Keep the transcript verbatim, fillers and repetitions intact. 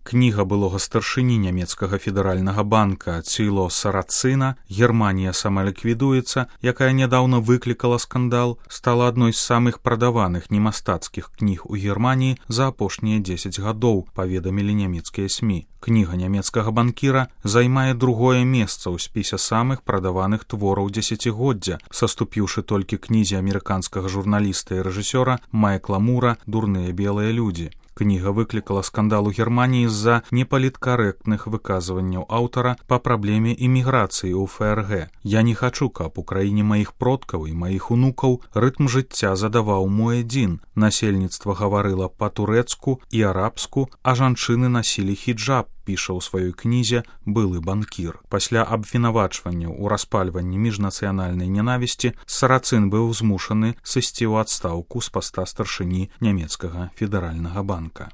Кніга былога старшыні нямецкага федэральнага банка Ціло Сарацына «Германія самаліквідуецца», якая нядаўна выклікала скандал, стала адной з самых прадаваных немастацкіх кніг у Германіі за апошнія дзесяць гадоў, паведамілі нямецкія СМІ. Кніга нямецкага банкіра займае другое месца ў спісе самых прадаваных твораў дзесяцігоддзя, саступіўшы толькі кнізе амерыканскага журналіста і рэжысёра Майкла Мура «Дурныя белыя людзі». Кніга выклікала скандал у Германіі з-за непаліткарэктных выказванняў аўтара па праблеме іміграцыі ў ФРГ. «Я не хачу, каб у краіне маіх продкаў і маіх унукаў рытм жыцця задаваў муэдзін. Насельніцтва гаварыла па-турэцку і арабску, а жанчыны насілі хіджаб», піша ў сваёй кнізе былы банкір. Пасля абвінавачвання ў распальванні міжнацыянальнай нянавісці Сарацын быў змушаны сысці ў адстаўку з паста старшыні нямецкага федэральнага банка.